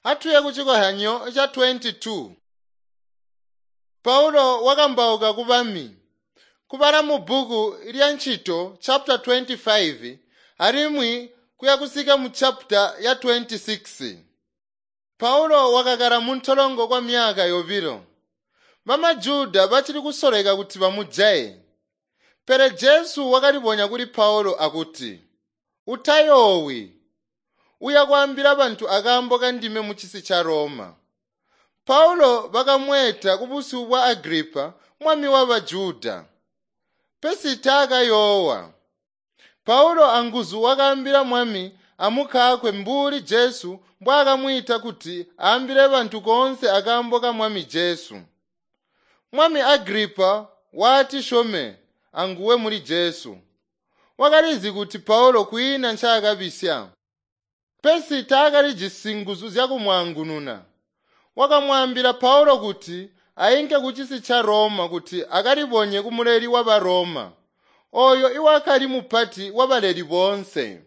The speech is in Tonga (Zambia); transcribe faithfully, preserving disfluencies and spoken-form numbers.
Atuye kucikozyanyo ca twenty two. Paulo wakambauka ku bami, kubala mubbuku lya Ncito chapter twenty five alimwi kuya kusika mu chapter ya twenty six. Paulo wakakala muntolongo kwa myaka yobilo. BamaJuda bacili kusoleka kuti bamujaye. Pele Jesu wakalibonya kuli Paulo akuti, "Utayoowi, uya kwaambila bantu akaambo kandime mucisi ca Roma." Paulo bakamweeta kubusyu bwa Agripa, mwami waba Juda. Pesi taakayoowa. Paulo anguzu wakaambila mwami amukaakwe mbuli Jesu mbwaakamwiita kuti aambile bantu koonse akaambo ka Mwami Jesu. Mwami Agripa waati syome anguwe muli Jesu. Wakalizi kuti Paulo kwiina ncaakabisya. Pesi taakalijisi nguzu zyakumwaangununa. Wakamwaambila Paulo kuti ainke kucisi ca Roma kuti akalibonye kumuleli waba Roma, ooyo iwakali mupati wabaleli boonse.